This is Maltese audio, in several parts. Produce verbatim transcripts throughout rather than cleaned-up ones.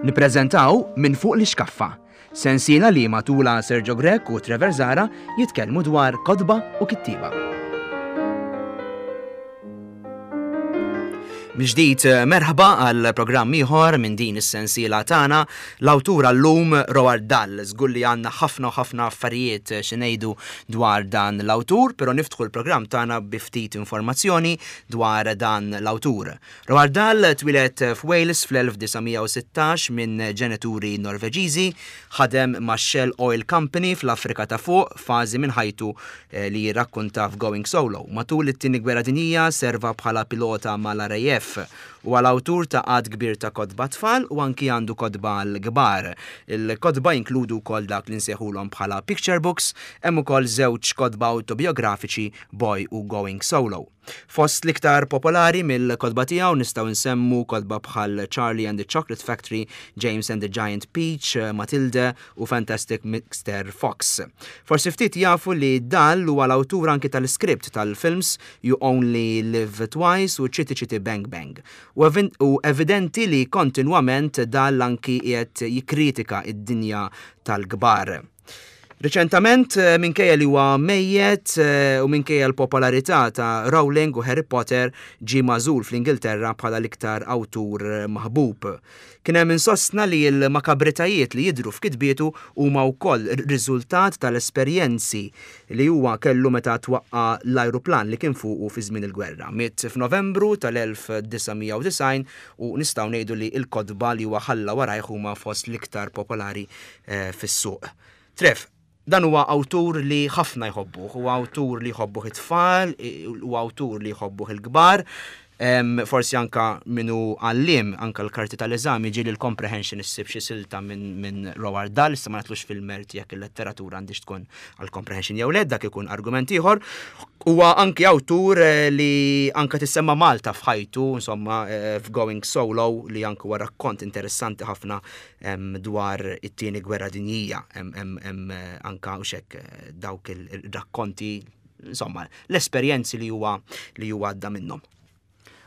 Nippreżentaw Minn Fuq l-Ixkaffa, sensiela li matula Sergio Grech u Trevor Zara jitkellmu dwar kotba u kittieba. Mill-ġdid merħba għal programm ieħor minn din is-sensiela tagħna. L-awtur għallum Roald Dahl. Żgur li għandna ħafna u ħafna affarijiet xi ngħidu dwar dan l-awtur, però niftħu l-programm tagħna bi ftit informazzjoni dwar dan l-awtur. Roald Dahl twieled f'Wales fl-elf disa' mija u sittax minn ġenituri Norveġiżi, ħadem ma' Shell Oil Company fl-Afrika ta' Fuq, fażi minn ħajtu li jirrakkonta f'Going Solo. Matul it-Tieni Gwerra Dinjija serva bħala pilota mal-R A F. Huwa l-awtur ta' għadd kbir ta' kotba tfal u anki għandu kotba l-kbar. Il-kotba jinkludu wkoll dak li nsejħulhom bħala picture books, hemm ukoll żewġ kotba autobiografiċi, Boy u Going Solo. Fost l-iktar popolari mill-kotba tiegħu nistgħu nsemmu kotba bħal Charlie and the Chocolate Factory, James and the Giant Peach, Matilde u Fantastic Mister Fox. Forsi ftit jafu li Dahl huwa l-awtur anki tal-iskript tal-films You Only Live Twice u Chitty Chitty Bang Bang. U evin-, u evidenti li kontinwament Dahl anki qiegħed jikkritika id-dinja tal-kbar. Reċentament, eh, minkejja li huwa mejjet, eh, u minkejja l-popolarità ta' Rowling u Harry Potter, ġie magħżul fl-Ingilterra bħala l-iktar awtur maħbub. Kien hemm insostna li l-makabritajiet li jidhru f'kitbietu huma wkoll riżultat tal-esperjenzi li huwa kellu meta twaqqa l-ajruplan li kien fuqu fi żmien il-gwerra. Miet f'Novembru tal-elf disa' mija u disgħin u nistgħu ngħidu li l-kotba li huwa ħalla warajh huma fost l-iktar popolari, eh, fis-suq. Tref, dan huwa awtur li ħafna jħobbuh, huwa awtur li jħobbuh it-tfal, huwa awtur li jħobbuh il-kbar, em, forsi anka minu għallim, anka l-karti tal-eżami ġieli l-comprehension issib xi silta minn, minn Roald Dahl, issa ma natlux fil-merti jekk il-letteratura għandix tkun għal-comprehension jew le, dak ikun argument ieħor. Huwa anki awtur, eh, li anka tissemma Malta f'ħajtu, insomma, eh, f'Going Solo, li anki huwa rakkont interessanti ħafna, em, dwar it-tieni gwerra dinjija, em, em, em, eh, anka u xek, eh, dawk il-rakkonti, insomma, l-esperjenzi li huwa li huwa għadda minnhom.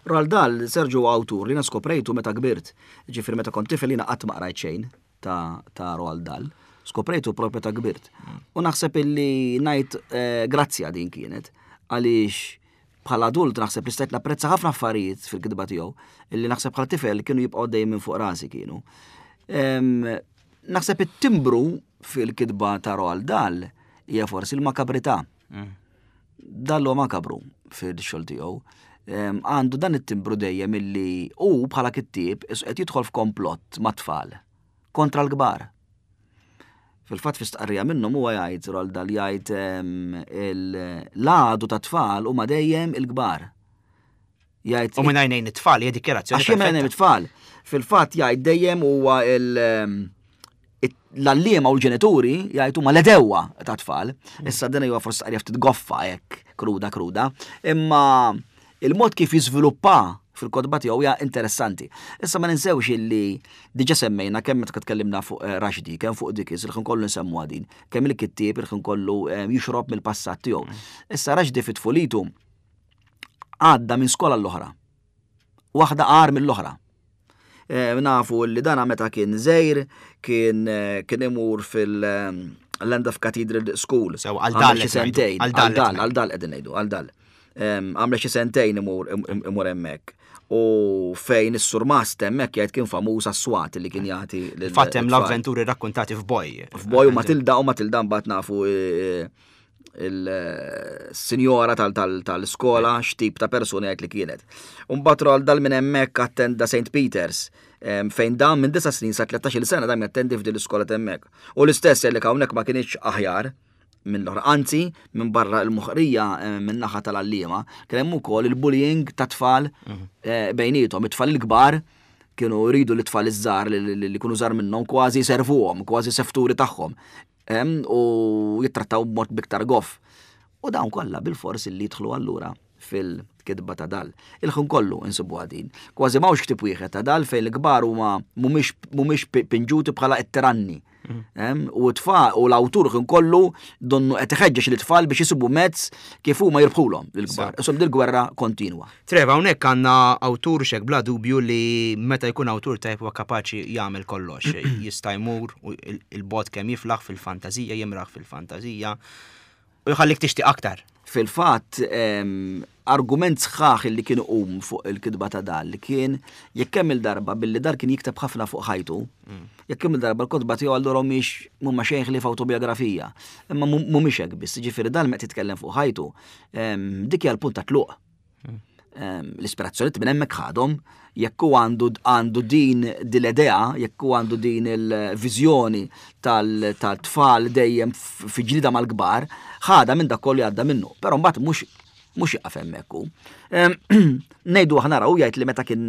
Roald Dahl, Sergio, huwa awtur li skoprejtu meta kbirt. Ġifieri meta kont tifel jiena qatt ma qrajt xejn ta', ta' Roald Dahl. Skoprejtu propju meta kbirt. U naħseb illi ngħid, eh, grazzja din kienet, għaliex bħala adult naħseb li stajt napprezza ħafna affarijiet fil-kitba tiegħu illi naħseb bħala tifel kienu jibqgħu dejjem minn fuq rasi kienu. Em, naħseb it-timbru fil-kitba ta' Roald Dahl hija forsi l-makabrità. Mm. Dahl huwa makabru fil-xogħol tiegħu. Em, għandu dan it-timbru dejjem illi hu bħala kittieb is qed jidħol f'komplott mat-tfal kontra l-kbar. Fil-fatt fi stqarrija minnhom huwa jgħid, Roald Dahl jgħid, em, il-, l-għadu ta' tfal huma dejjem il-kbar. Jgħid U minn għajnejn it-tfal, hija dikjarazzjoni Għax minn għajnejn perfetta. it-tfal. Fil-fatt jgħid dejjem huwa il-, em, it-, l-għalliema u l-ġenituri jgħid huma l-edewwa ta' tfal. Issa din huwa forsi stqarrija ftit goffa hekk, kruda kruda, imma il-mod kif jiżviluppa fil-kotba tiegħu hija interessanti. Issa ma ninsewx illi diġà semmejna kemm meta tkellimna fuq, eh, Rushdie, kemm fuq Dickens, il-ħin kollu nsemmu din, kemm il-kittieb il-ħin kollu, eh, jixrob mill-passat tiegħu. Issa Rushdie fit-tfulitu għadda minn skola l-oħra. Waħda qar mill-oħra. Eh, nafu li dana meta kien żgħir, kien, eh, kien imur fil-, eh, Llandaff Cathedral School. Sew, għal Għamel dal xi qed ngħidu. sentejn, Għal dal għal dal, qed għal dal qegħdin ngħidu, għal dal. Em, għamel xi sentejn imur, im-, im-, imur hemmhekk. U fejn is-surmast hemmhekk jgħid kien famuż għas-swat li kien jagħti lil Fatt hemm it-tfal. l-avventuri rrakkontati f'Boy. F'Boy u Matilda, u Matilda mbagħad nafu, e, il-sinjora tal-, tal-, tal-iskola x'tip ta' persuna jgħid li kienet. U mbagħad Roald Dahl minn hemmhekk attenda Saint Peters, em, fejn dan minn disa' snin sa tlettax-il sena dam jattendi f'din l-iskola hemmhekk. U l-istess li hawnhekk ma kienx aħjar minn l-oħra, anzi minn barra l-moħqrija, eh, minn naħa tal-għalliema, kien hemm ukoll il-bullying ta' tfal, Mhm. eh, bejniethom, it-tfal il-kbar kienu jridu l-tfal iż-żgħar li, li, li kienu żgħar minnhom kważi servuhom, kważi sefturi tagħhom. Em, u jittrattaw b'mod biktar goff. U dawn kollha bil-fors li jidħlu allura fil-kitba ta' Dahl. Il-ħin kollu insibu għadin. Kważi m'hawnx ktieb wieħed ta' Dahl fejn l-kbar huma mhumiex, mhumiex pi-, pinġuti bħala it-tiranni. U t-tfal u l-awtur kien kollu donnu qed iħeġġeġ lit-tfal biex jisibu mezz kif huma jirbħulhom lill-kbar. Isom dil-gwerra kontinwa. Trev, hawnhekk għandna awtur xek bla dubju li meta jkun awtur tajb huwa kapaċi jagħmel kollox. Jista' jmur u il-bot kemm jiflaħ fil-fantażija, jimraħ fil-fantażija u jħallik tixtieq aktar. Fil-fatt, argument sħaħ li kienu qum fuq il-kitba ta' Dahl li kien jekk kemm il-darba billi Dahl kien jikteb ħafna fuq ħajtu, jekk kemm il-darba l-kotba tiegħu allura mhix mhuma xejn ħlief autobiografija. Imma mhumiex hekk biss, jiġifieri Dahl meta titkellem fuq ħajtu, dik hija l-punt ta' tluq. L-ispirazzjoni minn hemmhekk ħadhom, jekk hu għandu għandu din l-idea, jekk hu għandu din il-viżjoni tal-tfal dejjem fi ġlida mal-kbar, ħadha minn dak kollu għadda minnu. Però mbagħad mhux mhux jaqaf hemmhekk hu. Ngħidu aħna raw jgħid li meta kien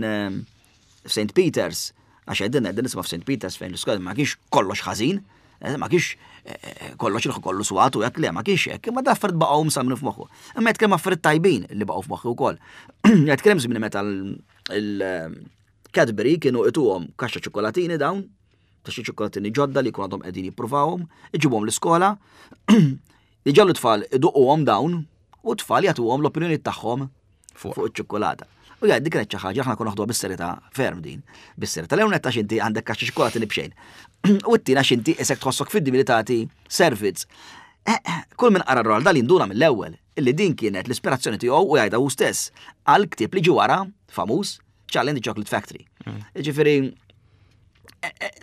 Saint Peters, għax għedin għedin nisma' f'Saint Peters fejn l-iskola ma kienx kollox ħażin, ma kienx kollox il kollu swat u jekk le ma kienx hekk, imma da affarijiet baqgħu msamnu f'moħħu. Imma jitkellem affarijiet tajbin li baqgħu f'moħħu wkoll. Jitkellem żmien meta l-Cadbury kienu ituhom kaxxa ċokolatini dawn, ta' xi ċokolatini ġodda li jkun għadhom qegħdin jippruvawhom, iġibhom l-iskola, iġallu tfal iduquhom dawn u tfal jagħtuhom l-opinjoni tagħhom fuq iċ-ċokolata. U jgħid dik kienet xi ħaġa aħna konna naħduha bis-serjetà ferm din. Bis-serjetà l netta x'inti għandek kaxxa ċokolatini b'xejn. U t-tina x'inti isek tħossok fid-dmir li tagħti servizz. Kull min qara Roald Dahl jinduna mill-ewwel illi din kienet l-ispirazzjoni tiegħu u jgħidha hu stess għal ktieb li ġie wara famuż Charlie and the Chocolate Factory. Ġifieri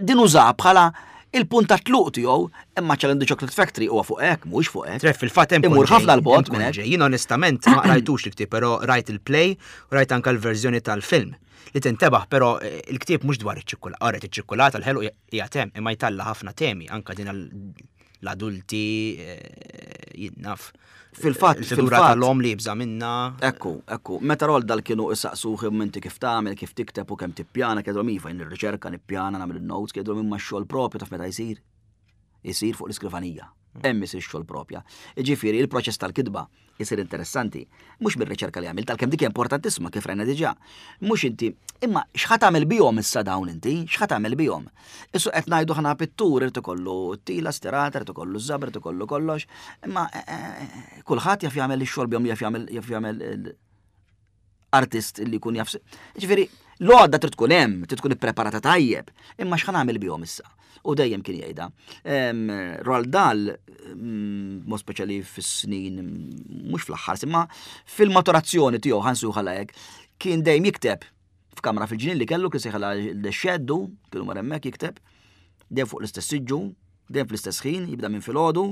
din uża bħala il-punt ta' tluq tiegħu, imma Charlie and the Chocolate Factory huwa fuq hekk, mhux fuq hekk. Trev, fil-fatt hemm Imur ħafna l-bot minn hekk. Jien onestament ma rajtux il-ktieb, però rajt il-play u rajt anke l-verżjoni tal-film. Li tintebaħ, però il-ktieb mhux dwar iċ-ċikkulata, għaret iċ-ċikkulata l-ħelu hija tem, imma jtalla ħafna temi, anke din l-adulti jinnaf. Fil-fatt, il-figura fil-fatt. tal-om li jibża minna. Ekku, ekku, meta Roald Dahl kienu isaqsuh inti kif tagħmel, kif tikteb u kemm tippjana, kienu iva jien nirriċerka, nippjana, nagħmel il-notes, kienu imma x-xogħol propju taf meta jsir. Isir fuq l-iskrivanija. Hemm isir x-xogħol propja. Jiġifieri il-proċess tal-kitba isir interessanti. Mhux mir-riċerka li għamilt, għalkemm dik importantissima kif rajna diġà. Mhux inti, imma x'ħa tagħmel bihom issa dawn inti, x'ħa tagħmel bihom? Issu qed ngħidu ħana pittur irid ikollu tila stirata, irid ikollu żabr, irid ikollu kollox, imma kulħadd jaf jagħmel ix-xogħol bihom, jaf jagħmel jaf jagħmel artist li jkun jaf. Ġifieri, l-għodda trid tkun hemm, trid tkun ippreparata tajjeb, imma x'ħa nagħmel bihom issa? U dejjem kien jgħidha. Roald Dahl, mod speċjali fis-snin, mhux fl-aħħar, imma fil-maturazzjoni tiegħu ħansu hekk, kien dejjem jikteb f'kamra fil-ġnien li kellu kien sejħala l-xeddu, kienu mar hemmhekk jikteb, dejjem fuq l-istess siġġu, dejjem fl-istess ħin, jibda minn filgħodu,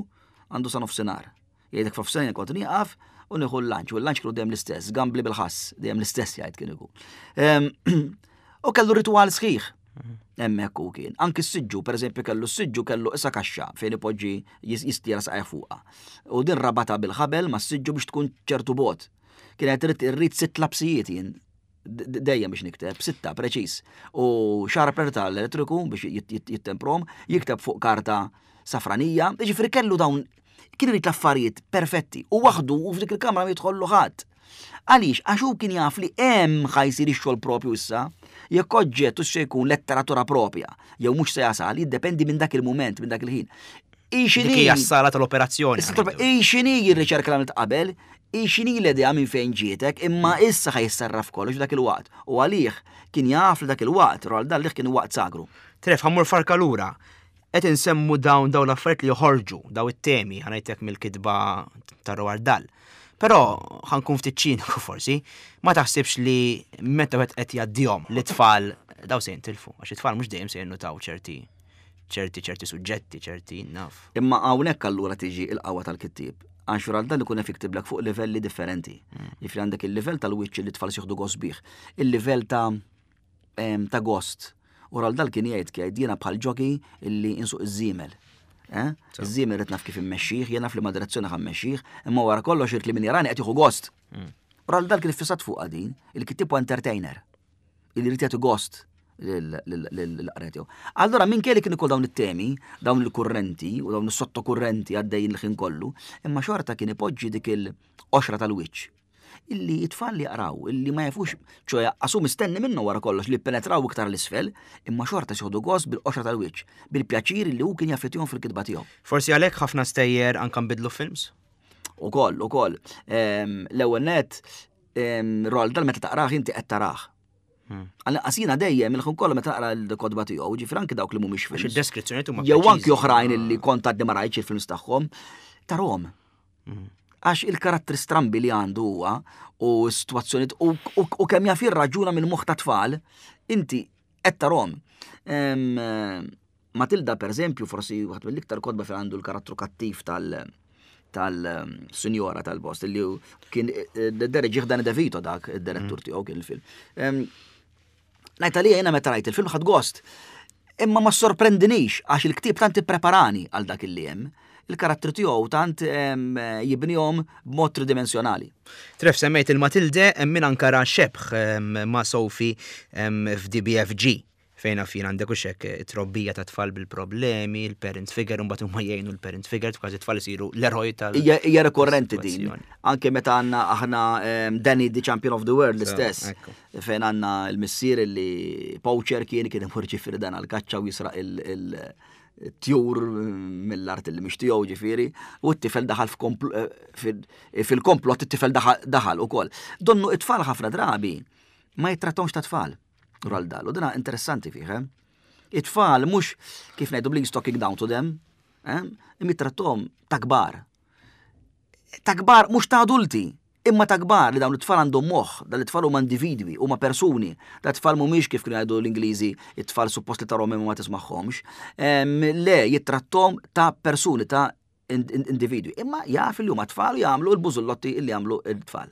għandu sa nofsinhar. Jgħidek f'nofsinhar kont nieqaf u nieħu l-lunch, u l-lunch kienu dejjem l-istess, gambli bil-ħass, dejjem l-istess jgħid kien ikun. U kellu ritual sħiħ. Hemmhekk u kien. Anki s-siġġu, per eżempju, kellu s-siġġu kellu issa kaxxa fejn ipoġġi jistira saqajh fuqha. U din rabata bil-ħabel ma s-siġġu biex tkun ċertu bot. Kien qed irrid sitt lapsijiet jien dejjem biex nikteb, sitta preċiż. U sharpener tal-elettriku biex jittemprom, jikteb fuq karta safranija, jiġifieri kellu dawn kien irid l-affarijiet perfetti u waħdu u f'dik il-kamra ma jidħollu ħadd. Għaliex, għax hu kien jaf li hemm ħa jsir ix-xogħol propju issa, jekk oġġett u se jkun letteratura propja, jew mhux se jasal, jiddependi minn dak il-mument, minn dak il-ħin. Dik hija s-sala tal-operazzjoni. Ixini jirriċerka l qabel, ixini l-idea minn fejn ġietek, imma issa ħa jissarraf kollox dak il-waqt. U għalih kien jaf li dak il-waqt, Roald Dahl kien waqt sagru. Tref, ħa mmur farka lura. Qed insemmu dawn dawn l-affarijiet li joħorġu, daw it-temi, ħa ngħidlek mill-kitba ta' Roald Dahl. Però ħa nkun ftit ċiniku forsi, ma taħsibx li meta wieħed qed jgħaddihom li tfal daw se jintilfu, għax it-tfal mhux dejjem se jinnutaw ċerti ċerti ċerti suġġetti, ċerti naf. Imma hawnhekk allura tiġi il-qawwa tal-kittieb. Għax Roald Dahl ikun qed jiktiblek fuq livelli differenti. Jiġifieri għandek il-livell tal-wiċċ li tfal jieħdu gost bih, il-livell ta' ta' gost. U Roald Dahl kien jgħid jgħid jiena bħal jockey illi insuq iż-żiemel. Iż-żiemel irid naf kif immexxih, jiena naf li ma direzzjoni ħa mmexxih, imma wara kollox irid li min jarani qed jieħu gost. Roald Dahl kien iffissat fuq din, il-kittieb huwa entertainer. Illi jrid jagħti gost lill-qarrej tiegħu. Allora minn kelli kien ikoll dawn it-temi, dawn il-kurrenti u dawn is-sottokurrenti għaddejjin il-ħin kollu, imma xorta kien ipoġġi dik il-qoxra tal-wiċċ. Illi it-tfal li jaqraw, illi ma jafux, ċoè għasu mistenni minnu wara kollox li penetraw iktar l-isfel, imma xorta jieħdu gost bil-qoxra tal-wiċċ, bil-pjaċir li hu kien jaffettihom fil-kitba tiegħu. Forsi għalhekk ħafna stejjer anke nbidlu films? Ukoll, ukoll. L-ewwel net, Roald Dahl meta taqrah inti qed tarah. Għallinqas jiena dejjem il-ħin kollu meta naqra l-kotba tiegħu, ġifieri anke dawk li mhumiex Għax films. id-deskrizzjoni huma Jew anki preċiżi. oħrajn illi kont għadni ma rajtx il-films tagħhom, tarahom. Għax il-karattri strambi li għandu huwa u s-sitwazzjonijiet u, u, u kemm jaf jirraġuna minn moħħ ta' tfal, inti qed tarahom. Em, Matilda per eżempju, forsi waħed mill-iktar kotba fejn għandu l-karattru kattiv tal- tal-sinjora tal-bost, li kien dereġih Dan DeVito dak id-direttur tiegħu kien il-film. Em, Ngħid għalija jiena meta rajt il-film ħadt gost. Imma ma sorprendinix għax il-ktieb tant ippreparani għal dak il hemm. Il-karattru tiegħu tant em, jibnihom b'mod tridimensjonali. Trev semmejt il-Matilde, hemm min anka ra xebh em, ma' Sophie em, f'D B F G fejn fin għandek u xek it-trobbija ta' tfal bil-problemi, il-parent figure, un huma jgħinu l-parent figure, kważi tfal isiru l-eroj tal- Hija hija rekorrenti din. Situazzjoni. Anke meta għandna aħna em, Danny the Champion of the World l-istess. Ekku. Fejn għandna il-missier li poacher kien kien imur ġifieri dan għal-kaċċa u jisraq il- il- tjur mill-art li mhix tiegħu ġifieri, u t-tifel daħal f'kompl- eh, fil- fil-komplott it-tifel daħal- daħal ukoll. Donnu it-tfal ħafna drabi ma jittrattawx ta' tfal. Roald Dahl, u dina interessanti fih, eh? It-tfal mhux kif ngħidu bl talking down to them, eh? Jittrattahom ta' kbar. Ta' kbar mhux ta' adulti, imma ta' kbar li dawn it-tfal għandhom moħħ, dan it-tfal huma individwi, huma persuni, da tfal mhumiex kif kienu jgħidu l-Ingliżi, it-tfal suppost li tarahom imma ma tismagħhomx. Em, Le, jittrattom ta' persuni, ta' in- in- individwi. Imma jaf li huma tfal u jagħmlu l-bużullotti li jagħmlu l-tfal.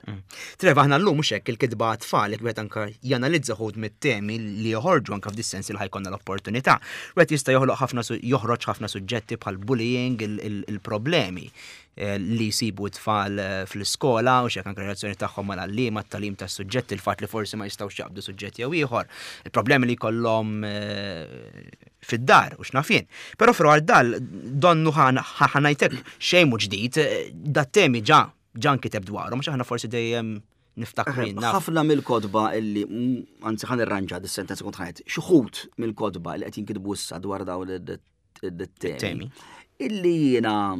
Trev, aħna llum mhux hekk il-kitba tfal, jekk wieħed anke janalizza wħud mit-temi li joħorġu anke f'dis-sens li ħa jkollna l-opportunità. Wieħed jista' joħloq ħafna su- joħroġ ħafna suġġetti bħal bullying, il- il- il-problemi eh, li jsibu t-tfal eh, fl-iskola u xek anke relazzjoni tagħhom mal-għalliema, t-tagħlim tas-suġġetti, il-fatt li forsi ma jistgħux jaqbdu suġġetti jew ieħor, il-problemi li jkollhom eh, fid-dar u x'naf jien. Però f'Roald Dahl donnu ħa ngħidlek xejn mhu ġdid, eh, da temi ġa ġa nkiteb dwarhom, għax aħna forsi dejjem niftakru jien naf. Ħafna mill-kotba illi, mm, anzi ħa nirranġa dis-sentenza kont ħa ngħid, xi wħud mill-kotba li qed jinkitbu issa dwar dawn it-temi. Temi. Illi jiena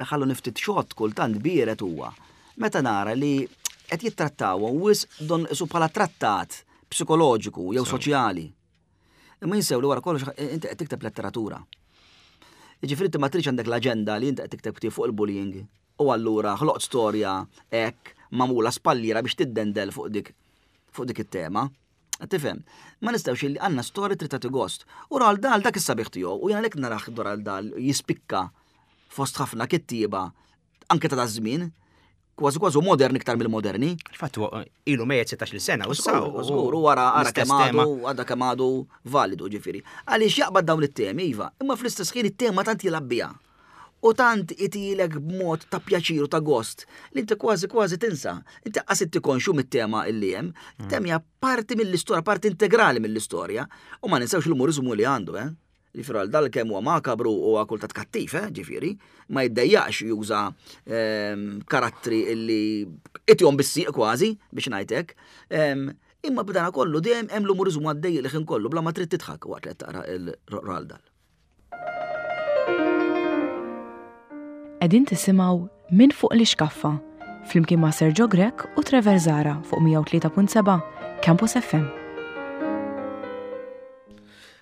ħallu niftit xott kultant biret huwa. Meta nara li qed jittrattaw wisq don isu bħala trattat psikoloġiku jew soċjali. Imma jinsew li wara kollox inti qed tikteb letteratura. Jiġifieri inti ma tridx għandek l-aġenda li inti qed tikteb ktieb fuq il-bullying u allura ħloqt storja hekk magħmula spalliera biex tiddendel fuq dik fuq dik it-tema. Tifhem, ma nistgħux illi għandna storja trid tagħti gost. U Roald Dahl dak is-sabiħ tiegħu u jien għalhekk narah Roald Dahl jispikka fost ħafna kittieba anke ta' daż-żmien, kważi kważi modern iktar mill-moderni. Il-fatt huwa ilu mejjet sittax-il sena u issa Żgur, żgur, u wara ara l-istess kemm tema. għadu, għadha kemm għadu validu ġifieri. Għaliex jaqbad dawn it-temi, iva, imma fl-istess ħin it-tema tant jilgħab biha. U tant itilek b'mod ta' pjaċir u ta' gost li inti kważi kważi tinsa. Inti qas inti konxu mit-tema illi hemm. Tema hija parti mill-istorja, parti integrali mill-istorja. U ma ninsewx l-umoriżmu li għandu, eh? Ġifieri għal dal kemm huwa makabru u huwa kultant kattiv, eh, ġifieri, ma jiddejjaqx juża ehm, karattri illi itihom bis-sieq kważi biex ngħidlek. Ehm, Imma b'dana kollu dejjem hemm l-umoriżmu għaddej li ħin kollu bla ma trid tidħak waqt li qed taqra il-Roald Dahl. Qegħdin tisimgħu Minn fuq l-ixkaffa flimkien ma' Sergio Grech u Trevor Zara fuq mija u tlieta punt seba' Campus F M.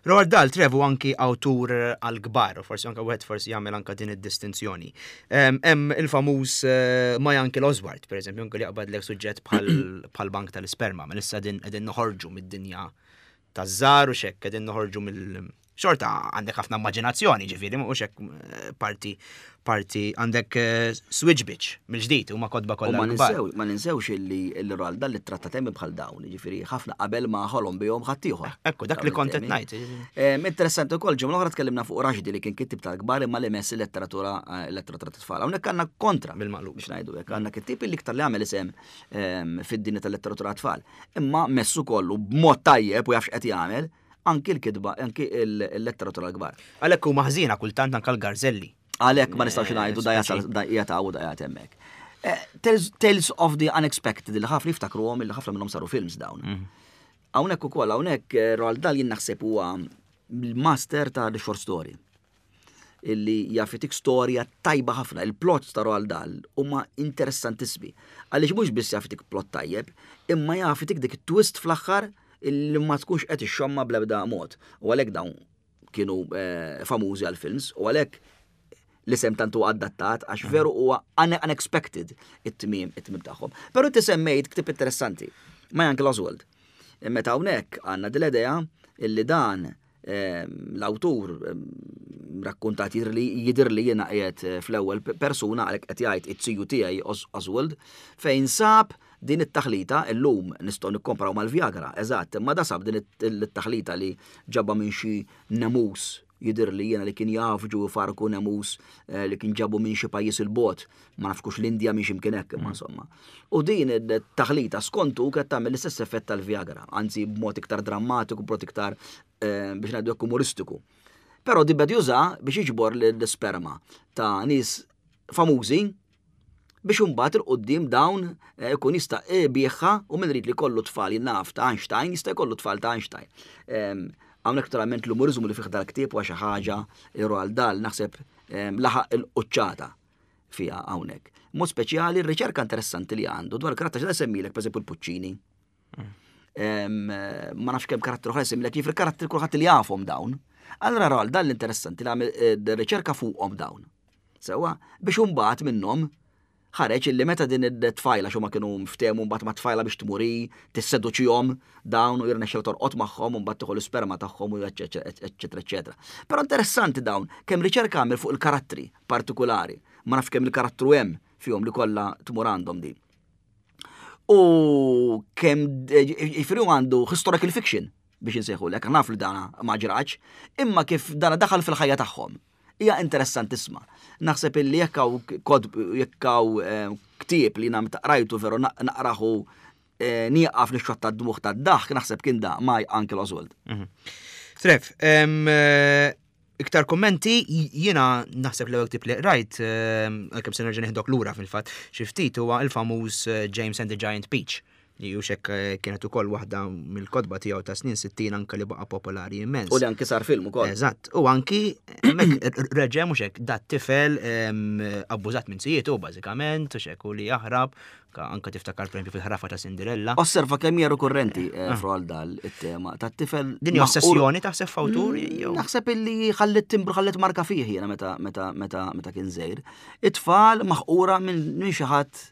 Roald Dahl, Trevu, anki awtur għal-kbar, u forsi anka wieħed forsi jagħmel anka din id-distinzjoni. Em, Hemm il-famuż eh, My Uncle Oswald, per eżempju, anke li jaqbad lek suġġett bħal bank tal-isperma, ma issa din qegħdin noħorġu mid-dinja taż-żgħar u xek, qegħdin noħorġu mill xorta għandek ħafna immaġinazzjoni, ġifieri, mhux hekk eh, parti parti għandek eh, Switch Bitch mill-ġdid huma kotba U kollha ma kbar. ninsew, ma ninsewx illi il-Roald Dahl li tratta temi bħal dawn, ġifieri ħafna qabel ma ħolom bihom ħaddieħor. Ekku, dak li kont qed ngħid. Em, Interessanti wkoll ġimgħa l-oħra tkellimna fuq Rushdie li kien kittib tal-kbar imma li mess il-letteratura eh, letteratura tat-tfal. Hawnhekk għandna kontra Bil-maqlub. biex ngħidu hekk, għandna kittib li iktar li għamel isem em, fid-dinja tal-letteratura tfal. Imma messu kollu b'mod tajjeb u jaf x'qed jagħmel anki l-kitba, anki il-letteratura l-kbar. Għalhekk huma ħżiena kultant anke l-garzelli. Għalhekk ma nistgħux ngħidu da jasal speċi. da jataw u da jgħat hemmhekk. Eh, Tales, Tales of the Unexpected, li ħafna jiftakruhom, li ħafna minnhom saru films dawn. Hawnhekk ukoll, hawnhekk eh, Roald Dahl jien naħseb huwa l-master ta' the short story, illi jaf itik storja tajba ħafna. Il-plots ta' Roald Dahl huma interessantissimi. Għaliex mhux biss jaf itik plot tajjeb, imma jaf itik dik twist fl-aħħar illi ma tkunx qed ixxomma bl-ebda mod. U għalhekk dawn kienu eh, famużi għal-films u għalhekk l-isem tantu adattat, għax veru huwa unexpected it-tmiem it-tmiem tagħhom. Però inti semmejt ktieb interessanti, My Uncle Oswald. Meta hawnhekk għandna dil-idea illi dan l-awtur rakkontat jidher jidher li jiena qiegħed eh, fl-ewwel persuna, għalhekk qed jgħid it-tiju tiegħi Oswald, fejn sab din it-taħlita. Illum nistgħu nikkompraw mal-Viagra, eżatt, imma da sab din it-taħlita li ġabha minn xi nemus, jidir li jiena, li kien jafġu farku nemus eh, li kien ġabu minn xi pajjiż il-bot, ma nafkux l-Indja, minn x'imkien hekk, imma insomma. U din it-taħlita skontu kienet tagħmel l-istess effett tal-Viagra, anzi b'mod iktar drammatiku, b'mod iktar eh, biex ngħidu umoristiku. Però di beda juża biex jiġbor l-sperma ta' nies famużi biex imbagħad 'il quddiem dawn eh, ikun jista' ibigħha, u min irid li kollu tfal naf ta' Einstein jista' jkollu tfal ta' Einstein. Hawnhekk naturalment l-umorizmu li fih dal-ktieb huwa xi ħaġa li Roald Dahl naħseb laħaq il-quċċata fiha hawnhekk. Mod speċjali r-riċerka interessanti li għandu dwar karatteri, xi semmilek, pereżempju l-Puccini. Ma nafx kemm karatteri oħra semmilek, kif il-karatteri kulħadd li jafhom dawn. Allora Roald Dahl interessanti li għamel eh, riċerka fuqhom dawn. Sewa, biex imbagħad minnhom ħareġ illi meta din it-tfajla, xo ma kienu mftemu mbagħad ma tfajla biex tmuri tisseduċihom dawn u jirnexxel torqod magħhom u mbagħad tieħu l-isperma tagħhom u eċċetera eċċetera. Però interessanti dawn kemm riċerka għamel fuq il-karattri partikolari. Ma nafx kemm il-karattru hemm fihom li kollha tmur għandhom din. U kemm jiġifieri għandu historical fiction biex insejħu lek, naf li dana ma ġrax, imma kif dana daħal fil-ħajja tagħhom hija interessantissima. Naħseb illi jekk hawn kod jekk hawn eh, ktieb li nam taqrajtu veru naqraħu eh, nieqaf nixxotta d-dmugħ tad-daħk, naħseb kien da My Uncle Oswald. Mhm. Trev, eh, iktar kommenti, jiena naħseb l-ewwel ktieb li rajt, għalkemm se nerġa' neħdok lura fil-fatt, xi ftit, huwa il-famuż James and the Giant Peach, li juxek eh, kienet ukoll waħda mill-kotba tiegħu ta' snin sittin anke li baqa' popolari immens. U li anki sar film ukoll. Eżatt, u anki hemmhekk reġa' mhux hekk dat tifel abbużat minn zijietu bażikament, u xek u li jaħrab, anka tiftakar per fil-ħrafa ta' Cinderella. Osserva kemm hija rikurrenti eh, ah. Roald Dahl it-tema tat-tifel. Din ossessjoni taħseb f'awtur? Mm, naħseb illi ħallet timbru, ħallet marka fih jiena meta meta meta meta kien żgħir. It-tfal maħqura minn xi ħadd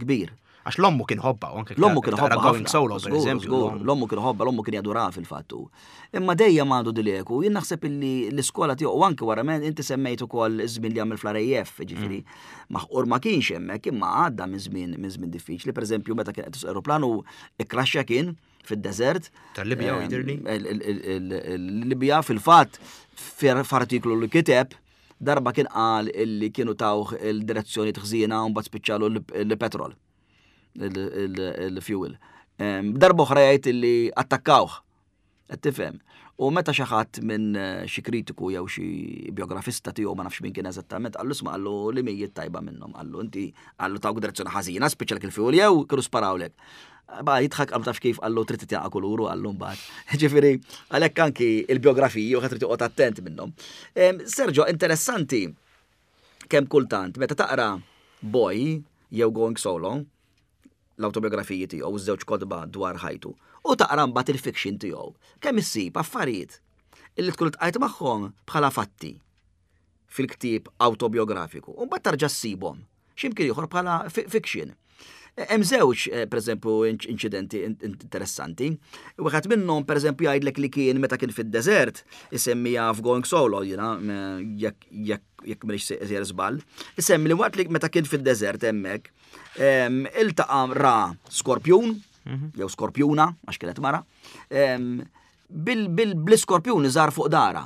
kbir. Għax l-ommu kien ħobba, u anke L-ommu kien ħobba. Going Solo, per eżempju. L-ommu kien ħobba, l-ommu kien jadura fil-fattu. Imma dejjem għandu dileku, jien naħseb illi l-iskola tiegħu u anke wara men inti semmejt ukoll iż-żmien li għamel fl-R A F, ġifieri mm. maħqur ma kienx hemmhekk, imma għadda minn żmien minn żmien diffiċli, pereżempju meta kien qed aeroplanu ikkraxxa kien fid-desert. Tal-Libja jidirli. Il-Libja fil-fatt, f'artiklu li kiteb darba kien qal illi kienu tawh il-direzzjoni ħażina u mbagħad spiċċalu l-petrol, il-fuel. Darba oħra jgħid illi attakkawh. Qed tifhem? U meta xi ħadd minn eh, xi kritiku jew xi biografista tiegħu, ma nafx min kien eżattament, qallu: "Isma'," qallu, "li mijiet tajba minnhom," qallu, "inti," qallu, "tawk direzzjoni ħażina, spiċċalek il-fuel, jew kienu sparawlek?" Ba jidħak, qallu: "Taf kif," qallu, "trid titjaqa kuluru," qallu mbagħad. Ġifieri, għalhekk anki il-biografiji u trid toqgħod attent minnhom. Sergio, interessanti kemm kultant meta taqra Boy jew Going Solo, l-autobiografiji tiegħu, żewġ kotba dwar ħajtu, u taqra mbagħad il-fiction tiegħu, kemm issib affarijiet illi tkun tqajt magħhom bħala fatti fil-ktieb autobiografiku, u mbagħad tarġa' ssibhom x'imkien ieħor bħala fiction. Hemm żewġ, eh, pereżempju, inċidenti interessanti. Wieħed minnhom, pereżempju, jgħidlek li kien meta kien fid-deżert, isemmija f'Going Solo, jiena jekk jekk jekk m'iniex sejjer żball. Isemmi li waqt li meta kien fid-deżert hemmhekk, iltaqa' ra skorpjun, mhm. jew skorpjuna, għax kienet mara, bil-skorpjun iżgħar fuq dara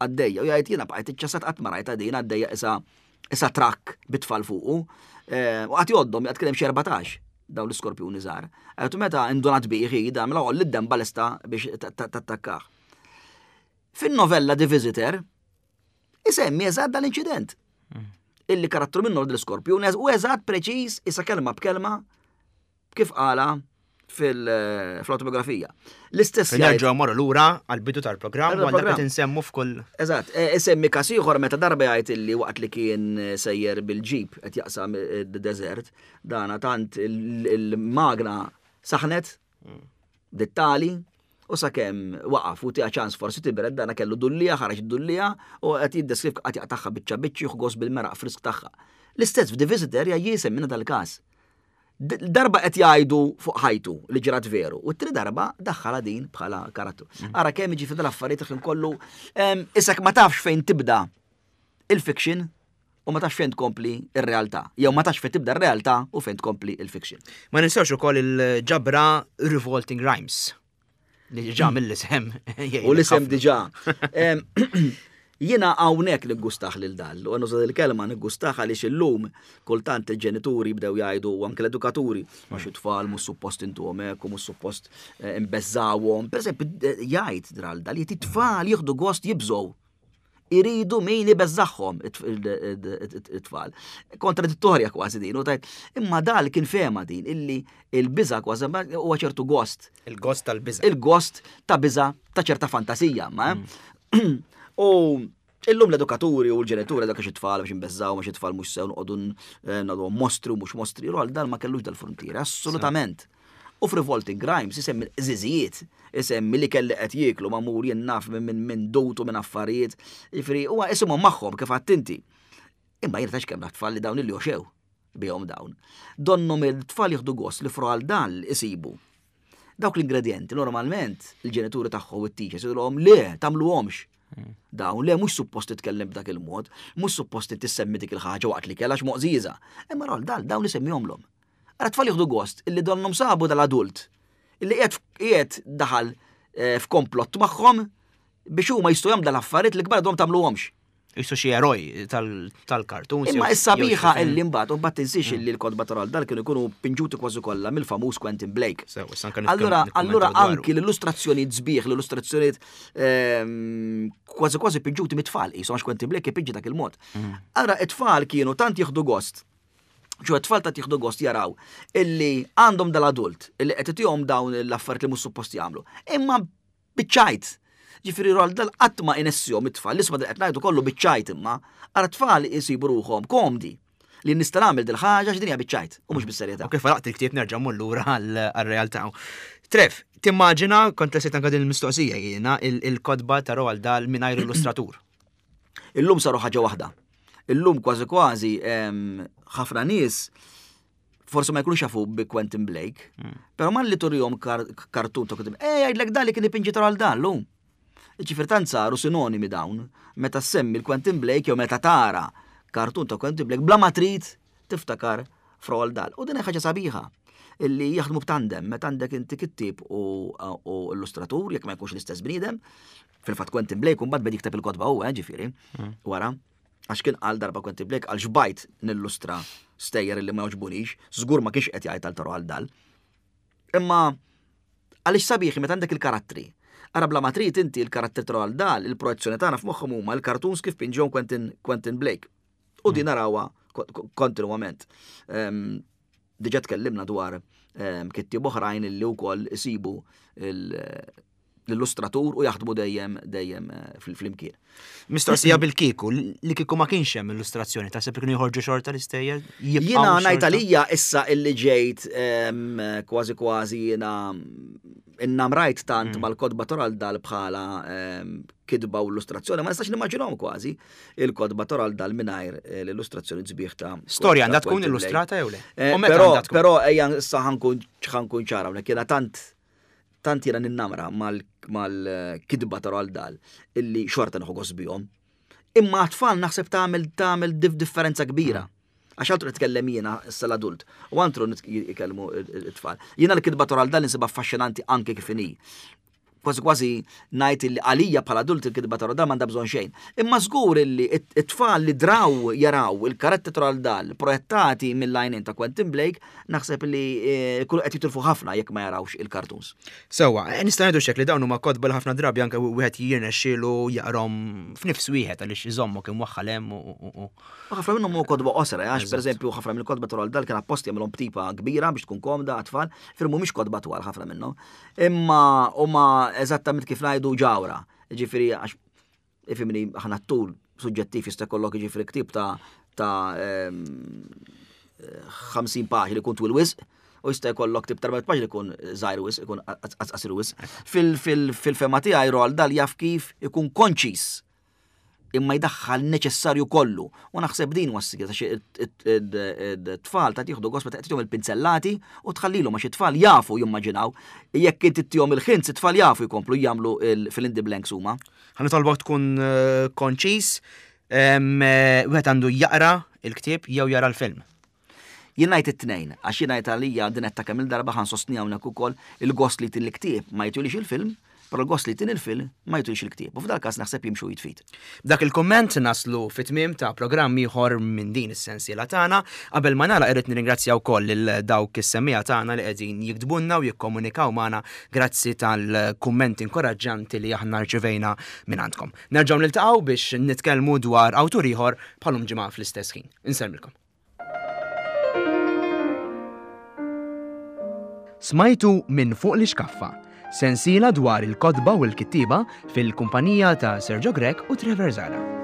għaddejja, u jgħid: "Jiena bqajt iċċassat, qatt ma rajta din għaddejja isa isa trakk bit-tfal fuqu." Eh, u għat joddom, jgħad kien hemm xi erbatax dawn l-iskorpjuni żgħar. Għajtu meta indunat biħi, da mela għolli d-dem balesta biex tattakkah. Fin-novella The Visitor, isemmi eżatt dal-inċident. Mm. Illi karattru minnu l-skorpjun u eżatt preċiż issa kelma b'kelma kif qala fil-autobiografija. L-istess Nerġgħu morru lura għall-bidu tal-programm u għal insemmu f'kull. Eżatt, e, isemmi każ ieħor meta darba jgħid illi waqt li kien sejjer bil-ġip qed jaqsam id-deżert, dana tant il-magna saħnet dittali u sakemm waqaf u tiha ċans forsi tibred dana kellu dullija, ħareġ dullija u qed jiddeskriv qed jaqtagħha biċċa biċċi u gost bil-meraq frisk tagħha. L-istess f'The Visitor jisemmina dal-każ. Darba qed jgħidu fuq ħajtu li ġrat veru, u t-tieni darba daħħala din bħala karattru. Mm. Ara kemm jiġi dal-affarijiet kien kollu isek ma tafx fejn tibda il-fiction u ma tafx fejn tkompli ir-realtà. Jew ma tafx fejn tibda r-realtà u fejn tkompli il-fiction. Ma ninsewx ukoll il-ġabra Revolting Rhymes. Li ġa mill-isem. U l-isem diġà. Jiena hawnhekk niggustaħ lil Dahl, u nuża il-kelma niggustaħ għaliex illum kultant il-ġenituri bdew jgħidu u anke l-edukaturi ma xi tfal mhux suppost intuhom hekk u mhux suppost eh, imbeżżawhom. Pereżempju eh, jgħid Roald Dahl li t-tfal jieħdu gost jibżgħu. Iridu min ibeżżagħhom it-tfal. Kontradittorja kważi din, u tajt, imma Dahl kien fehma din illi il-biża kważi huwa ċertu gost. Il-gost tal-biża. Il-gost ta' biża ta' ċerta fantasija, ma. Mm. U illum l-edukaturi u l-ġenituri dak it-tfal biex nbeżżaw, ma tfal mhux sew noqogħdu eh, nagħdu mostri u mhux mostri, Roald Dahl ma kellux dal-frontiera, assolutament. U f'Revolting Rhymes isemmi l-qżiżijiet, isemmi li kelli qed jieklu magħmul jien naf minn minn dutu minn affarijiet, jiġifieri huwa isimhom magħhom kif għattinti. Imma jiena tax kemm tfal li dawn li joxew bihom dawn. Donnom il-tfal jieħdu gost li f'Roald Dahl isibu. Dawk l-ingredienti normalment il-ġenituri tagħhom u t-teachers jgħidulhom le tagħmluhomx. Dawn le mhux suppost titkellem b'dak il-mod, mhux suppost tissemmi dik il-ħaġa waqt li kellha moqżieża. Imma Roald Dahl dawn isemmihomlhom. Ara tfal jieħdu gost illi donnom sabu dal-adult illi qiegħed qiegħed daħal eh, f'komplott magħhom biex huma jistgħu jagħmlu dal-affarijiet li kbar dom tagħmluhomx. Jisu xi eroj tal-kartun. Imma is-sabiħa illi mbagħad u mbagħad tinsiex illi l-kotba ta' Roald Dahl kienu jkunu pinġuti kważi kollha mill-famuż Quentin Blake. Allura, allura anki l-illustrazzjonijiet sbieħ, l-illustrazzjonijiet ehm, kważi kważi pinġuti mit-tfal, qishom għax Quentin Blake ipinġi dak il-mod. Mm. Allura it-tfal kienu tant jieħdu gost ċu t-tfal ta' jieħdu gost jaraw illi għandhom dal-adult illi qed itihom dawn l-affarijiet li mhux suppost jagħmlu. Imma biċ-ċajt. Ġifieri Roald Dahl qatt ma inessihom it-tfal, l-isma qed ngħidu kollu biċ-ċajt imma, ara tfal isibu ruħhom komdi li nista' nagħmel dil-ħaġa x'dinja biċ-ċajt u mhux bis-serjetà. U kif għalaqt il-ktieb nerġa' mmur lura għall-realtà. Trev, timmaġina kont lesiet anke din il-mistoqsija jiena il-kotba ta' Roald Dahl mingħajr illustratur. Illum saru ħaġa waħda. Illum kważi kważi ħafna nies forse ma jkunux jafu bi Quentin Blake, hmm. pero man li turihom kartun ta' Quentin Blake, eh jgħidlek dan li kien ipinġi Roald Dahl llum. Ġifieri tant saru sinonimi dawn, meta semmi l-Quentin Blake jew meta tara kartun ta' Quentin Blake, bla ma trid tiftakar f'Roald Dahl. U din ħaġa sabiħa illi jaħdmu b'tandem, meta għandek inti kittib u, u illustratur, jekk ma jkunx l-istess bniedem, fil-fatt Quentin Blake mbagħad beda jikteb il-kotba huwa, eh, ġifieri, hmm. wara. Għax kien qal darba Quentin Blake għal xbajt nillustra stejjer li ma jogħġbunix, żgur ma kienx qed jgħid għal Roald Dahl. Imma għaliex sabiħi meta għandek il-karattri. Ara bla ma trid inti il-karattri ta' Roald Dahl, il-projezzjoni tagħna f'moħħhom huma l-cartoons kif pinġihom Quentin, Quentin Blake. U din narawha kontinwament. Diġà tkellimna dwar kittieb oħrajn illi wkoll isibu l-illustratur u jaħdmu dejjem dejjem eh, fil-flimkien. Mistoqsija bil-kieku, li kieku ma kienx hemm illustrazzjoni, taħseb li kienu joħorġu xorta l-istejjer? Jiena ngħid għalija issa illi ġejt kważi kważi jiena innamrajt tant mm. mal-kotba Roald Dahl bħala kitba u illustrazzjoni, ma nistax nimmaġinhom kważi il-kotba Roald Dahl mingħajr eh, l-illustrazzjoni sbieħ ta' Storja għandha tkun illustrata jew le? Eh, però però ejja issa ħa nkun ċara hawnhekk jiena tant tant jiena ninnamra mal-kitba ta' Roald Dahl illi xorta nieħu gost bihom. Imma tfal naħseb tagħmel tagħmel differenza kbira. Għax altru nitkellem jiena issa l-adult u altru jikellmu it-tfal. Jiena l-kitba ta' Roald Dahl insibha affaxxinanti anke kif inhi. Kważi kważi ngħid li għalija bħala adult il-kitba ta' Roald Dahl m'għandha bżonn xejn. Imma żgur illi it-tfal li draw jaraw il-karattri ta' Roald Dahl projettati mill-għajnejn ta' Quentin Blake, naħseb li eh, kullu qed jitilfu ħafna jekk ma jarawx il-cartoons. Sewwa, eh, nista' ngħidu xek li dawn huma kotba li ħafna drabi anke wieħed jirnexxielu jaqrom f'nifs wieħed għaliex iżommok imwaħħal hemm u- u u- U ħafna minnhom huma kotba qosra, għax pereżempju ħafna mill-kotba ta' Roald Dahl kien apposti jagħmilhom b'tipa kbira biex tkun komda għat-tfal, firmu mhumiex kotba twal ħafna minnhom. Imma huma eżattament kif ngħidu ġawra. Ġifieri għax ifhimni, aħna t-tul suġġettiv, jista' jkollok ġifieri ktieb ta' ta' ehm, ħamsin paġni li jkun twil wisq, u jista' jkollok ktieb ta' erbgħa mitt paġni li jkun żgħir wisq, ikun qasir wisq. Fil-fehma tiegħi Roald Dahl jaf kif ikun konċis imma jdaħħal neċessarju kollu. U naħseb din huwa s-sigriet għax it-tfal ta' tieħdu gost meta tagħtihom il-pinzellati u tħallilhom, għax it-tfal jafu jimmaġinaw. Jekk inti ttihom il-hints, it-tfal jafu jkomplu jagħmlu fill in the blanks huma. Ħa nitolbok tkun eh, konċis, em, eh, wieħed għandu jaqra il-ktieb jew jara l-film? Jien ngħid it-tnejn, għax jien ngħid għalija din qed ta' kemm il-darba ħa nsostni hawnhekk ukoll, il-gost li tin il-ktieb ma jtulix il-film, però l-gost li tin il-film ma jtulix il-ktieb. U f'dal każ naħseb jimxu id f'id. Dak il-komment naslu fit-tmiem ta' programm ieħor minn din is-sensiela tagħna. Qabel ma nagħlaq irrid nirringrazzja wkoll lil dawk is-semmiegħa tagħna li qegħdin jiktbulna u jikkomunikaw magħna. Grazzi tal-kummenti inkoraġġanti li aħna rċevejna minn għandkom. Nerġgħu niltaqgħu biex nitkellmu dwar awtur ieħor bħalum ġimgħa fl-istess ħin. Insellmilkom. Smajtu Minn fuq l-ixkaffa, sensiela dwar il-kotba u l-kittiba fil-kumpanija ta' Sergio Grech u Trevor Zara.